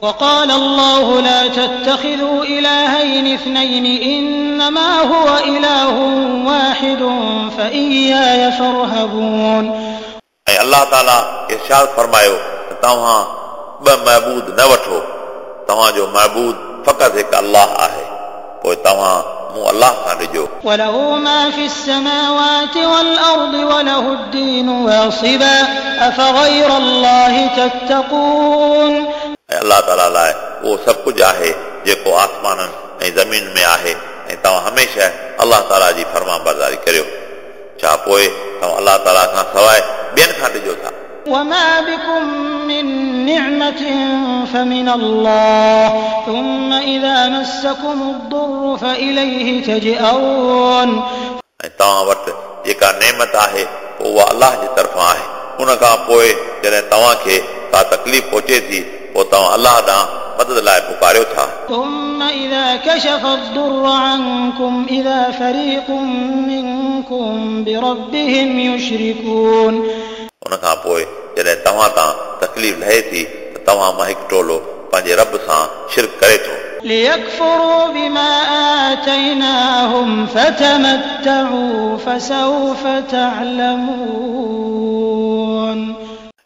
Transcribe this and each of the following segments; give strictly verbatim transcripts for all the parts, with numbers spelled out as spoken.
وقال الله لا تتخذوا إلهين اثنين إنما هو إله واحد فإياي فارهبون. ऐं अलाह ताला इरशाद फरमायो त तव्हां ॿ महबूद न वठो, तव्हांजो महबूद फ़क़ति हिकु अलाह आहे, पोइ तव्हां मूं अलाह खां ॾिजो। وله ما في السماوات والأرض وله الدين واصبا أفغير الله تتقون. ऐं अलाह ताला लाइ उहो सभु कुझु आहे जेको आसमाननि ऐं ज़मीन में आहे, ऐं तव्हां हमेशह अलाह ताला जी फर्मा बरदारी करियो। छा पोइ तव्हां अलाह ताला खां सवाइ ॿियनि खां ॾिजो था? وما بكم من نعمة فمن الله ثم إذا مسكم الضر فإليه تجأرون. ऐं तव्हां वटि जेका नेमत आहे पोइ उहा अलाह जे तरफ़ां आहे, उन खां पोइ जॾहिं तव्हांखे का तकलीफ़ पहुचे थी पोइ तव्हां अलाह ॾांहुं मदद लाइ पुकारियो था। ثم إذا كشف الضر عنكم إذا فريق منكم بربهم يشركون. उन खां पोइ जॾहिं तव्हां तां तकलीफ़ लहे थी त तव्हां मां हिकु टोलो पंहिंजे रब सां शिरक करे थो। ليكفروا بما آتيناهم فتمتعوا فسوف تعلمون.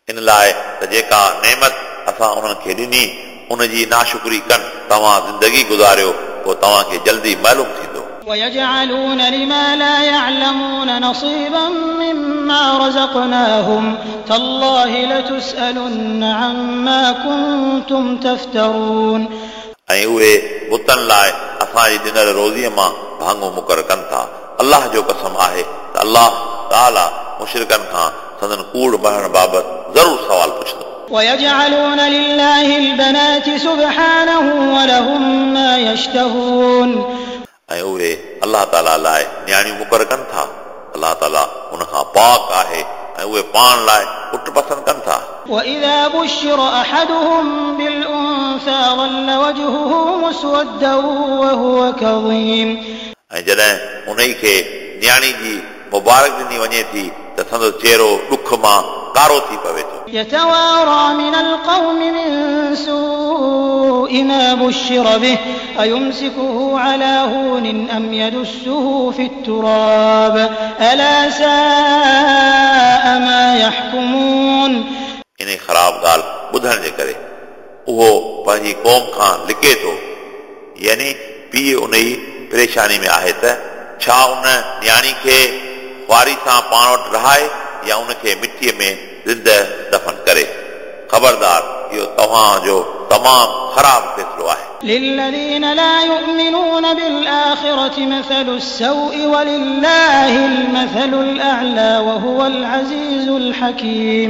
इन लाइ त जेका नेमत असां उन्हनि खे ॾिनी उनजी नाशुक्री कनि, तव्हां ज़िंदगी गुज़ारियो पोइ तव्हांखे जल्दी मालूम थींदो। ويجعلون لما لا يعلمون نصيبا مما رزقناهم تالله لتسألن عما كنتم تفترون. ऐं उहे बुतनि लाइ असांजी ॾिनल रोज़ीअ मां भाङो मुक़ररु कनि था। अलाह जो कसम आहे त अलाह ताला मुशरिकनि खां संदन कूड़ मरण बाबति ज़रूरु सवाल पुछंदो। ويجعلون لله البنات سبحانه ولهم ما يشتهون. ऐं उहे अलाह ताला लाइ नियाणियूं मुक़ररु कनि था, अलाह ताला उन खां पाक आहे, ऐं उहे पाण लाइ पुट पसंदि कनि था। وإذا بشر أحدهم بالأنثى ظل وجهه مسودا وهو كظيم. ऐं जॾहिं उन खे नियाणी जी मुबारक ॾिनी वञे थी त संदसि चहिरो ॾुख मां कारो थी पवे थो। يتوارى من القوم من سوء ما بشر به أيمسكه على هون أم يدسه في التراب ألا ساء ما يحكمون. इन ख़राब ॻाल्हि ॿुधण जे करे उहो पंहिंजी क़ौम खां लिके थो, यानी पीउ उन ई परेशानी में आहे त छा उन नियाणी खे ख़्वारी सां पाण वटि रहाए या उनखे मिटीअ में ज़िंदा दफ़न करे। ख़बरदार, इहो तव्हांजो तमामु ख़राब फ़ैसिलो आहे। للذين لا يؤمنون بالآخرة مثل السوء ولله المثل الأعلى وهو العزيز الحكيم.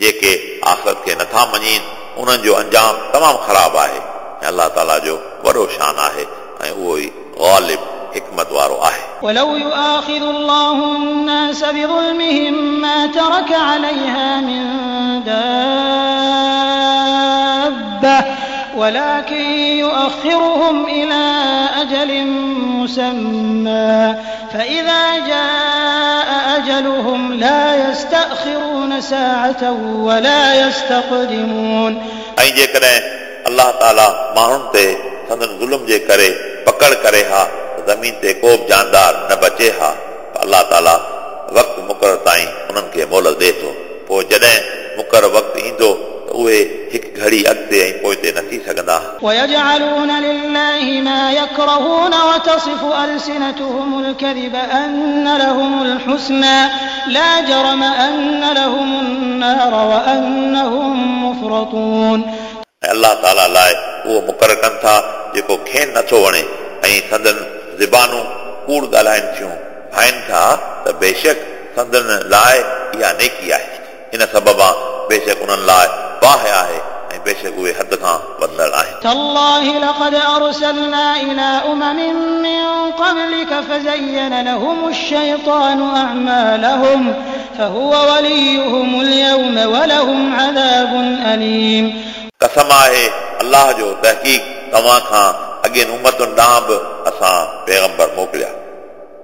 जेके आख़िरत खे नथा मञीनि उन्हनि जो अंजाम तमामु ख़राब आहे, ऐं अलाह ताला जो वॾो शान आहे ऐं उहो ई ग़ालिब हिकमत वारो आहे। ولو يؤاخذ الله الناس بظلمهم ما ترك عليها من دابة ولكن يؤخرهم إلى أجل مسمى فإذا جاء أجلهم لا يستأخرون ساعة ولا يستقدمون. ऐं जेकॾहिं अलाह ताला माण्हुनि ते संदन ज़ुल्म जे करे पकड़ करे हा ज़मीन ते को बि जानदार न बचे हा, पर अलाह ताला वक़्तु मुक़ररु ताईं उन्हनि खे मोहलत ॾिए थो। पोइ जॾहिं मुक़ररु वक़्तु ईंदो त उहे हिकु घड़ी अॻिते ऐं पोइते न थी सघंदा। ويجعلون لله ما يكرهون وتصف ألسنتهم الكذب أن لهم الحسنى لا جرم أن لهم النار وأنهم مفرطون. ऐं अलाह ताला लाइ उहो मुक़ररु कनि था जेको खेनि नथो वणे, ऐं संदन ज़बानूं कूड़ ॻाल्हाइनि थियूं, भाइनि था त बेशक संदन लाइ इहा नेकी आहे, इन सबबा बेशक उन्हनि लाइ बाहि आहे ऐं बेशक उहे हद खां वधंदड़ आहिनि। تالله لقد أرسلنا إلى أمم من قبلك فزين لهم الشيطان أعمالهم فهو وليهم اليوم ولهم عذاب أليم. कसम आहे अलाह जो, तहक़ीक़ तव्हां खां अॻियनि उमतुनि ॾांहुं बि असां पैगंबर मोकिलिया,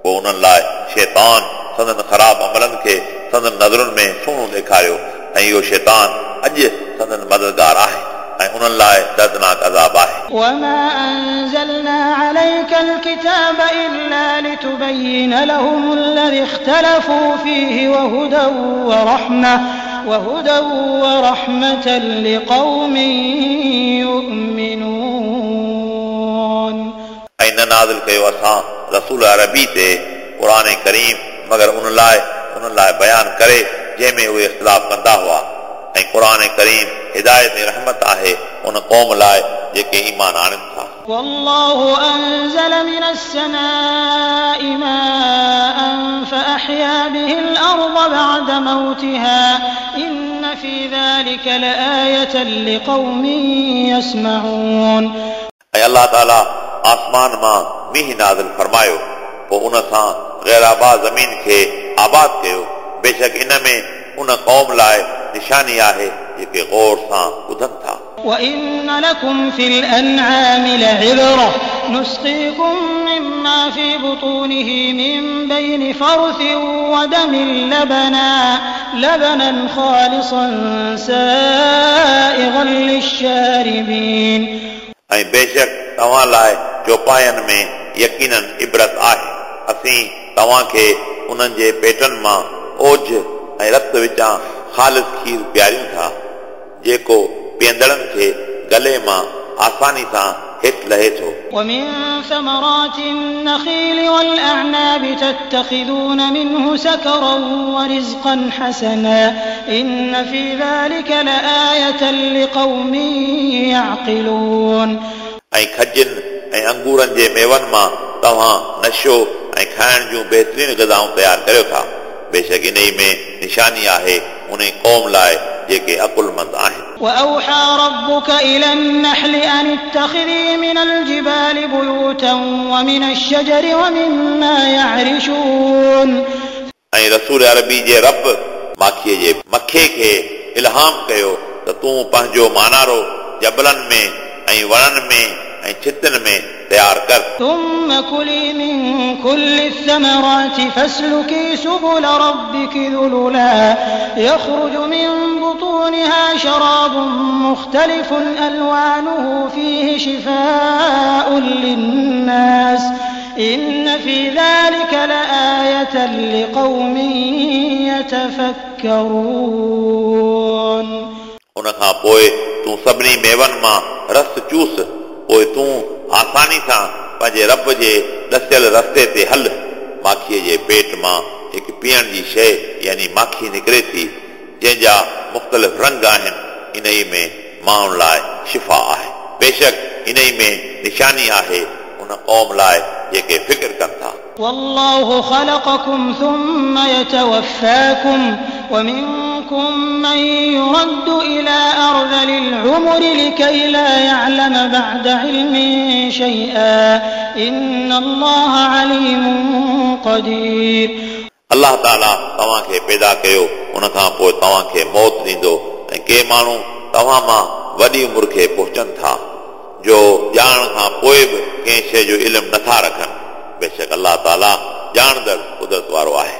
पोइ उन्हनि लाइ शैतान संदन ख़राब अमलनि खे संदन नज़रुनि में सुहिणो ॾेखारियो, ऐं इहो शैतान अॼु संदन मददगार आहे ऐं उन्हनि लाइ दर्दनाक अज़ाब आहे। وما أنزلنا عليك الكتاب إلا لتبين لهم الذي اختلفوا فيه وهدى ورحمة وهدى ورحمة لقوم يؤمنون। ऐं न नाज़िल कयो असां रसूल अरबी ते क़ुर करीम मगर उन लाइ उन्हनि लाइ बयान करे जंहिंमें उहे इख़्तिलाफ़ कंदा हुआ। ऐं क़ुर करीम हिदायत ऐं रहमत आहे उन क़ौम लाइ जेके ईमान आणनि था। والله أنزل من السماء ماء فأحيا به الأرض بعد موتها إن في ذلك لآية لقوم يسمعون। ऐं अलाह ताला आसमान मां मींहुं नाज़िल फरमायो पोइ उन सां ग़ैर आबाद ज़मीन खे आबाद कयो। बेशक इन में उन क़ौम लाइ निशानी आहे जेके गौर सां ॿुधनि था। وإن لكم في الأنعام لعبرة نسقيكم مما في بطونه من بين فرث ودم لبنا لبنا خالصا سائغا للشاربين। ऐं बेशक तव्हां लाइ चौपायनि में यकीनन इबरत आहे। असीं तव्हांखे उन्हनि जे पेटनि मां ओझ ऐं रत विचां ख़ालिस खीर पीआरियूं था जेको पीअंदड़नि खे गले मां आसानी सां हेठि लहे थो। ومن ثمرات النخيل والأعناب تتخذون منه سكرا ورزقا حسنا إن في ذلك لآية لقوم يعقلون। ऐं खजनि ऐं अंगूरनि जे मेवनि मां तव्हां नशो ऐं खाइण जूं बहितरीन ग़िज़ाऊं तयारु करियो था। बेशक इन में निशानी आहे उन क़ौम लाइ जेके अकुलमंद आहिनि। وأوحى ربك إلى النحل أن اتخذي من الجبال بيوتا ومن الشجر ومما يعرشون। ऐं रसूल अरबी जे रब माखीअ जे मखे खे इल्हाम कयो त तूं पंहिंजो मानारो जबलनि में ऐं वणनि में ऐं छितनि में तयारु कर। ثم كلي من كل الثمرات فاسلكي سبل ربك ذللا يخرج من بطونها شراب مختلف ألوانه فيه شفاء للناس إن في ذلك لآية لقوم يتفكرون। उन खां पोइ तूं सभिनी मेवनि मां रस चूस पोइ तूं आसानी सां पंहिंजे रब जे ॾसियल रस्ते ते हल। माखीअ जे पेट मां हिकु पीअण जी शइ यानी माखी निकिरे थी जंहिंजा मुख़्तलिफ़ रंग आहिनि। इन में माण्हुनि लाइ शिफ़ा आहे। बेशक इन में निशानी आहे उन क़ौम लाइ जेके फ़िक्र कनि था। والله خلقكم ثم يتوفاكم ومنكم من يرد إلى أرذل العمر لكي لا يعلم بعد علم شيئا إن الله عليم قدير। अलाह ताला तव्हांखे पैदा कयो उन खां पोइ तव्हांखे मौत ॾींदो ऐं के माण्हू तव्हां मां वॾी उमिरि खे पहुचनि था जो ॼाणण खां पोइ बि कंहिं शइ जो इल्मु नथा रखनि। बेशक अलाह ताला ॼाणंदड़ कुदरत वारो आहे।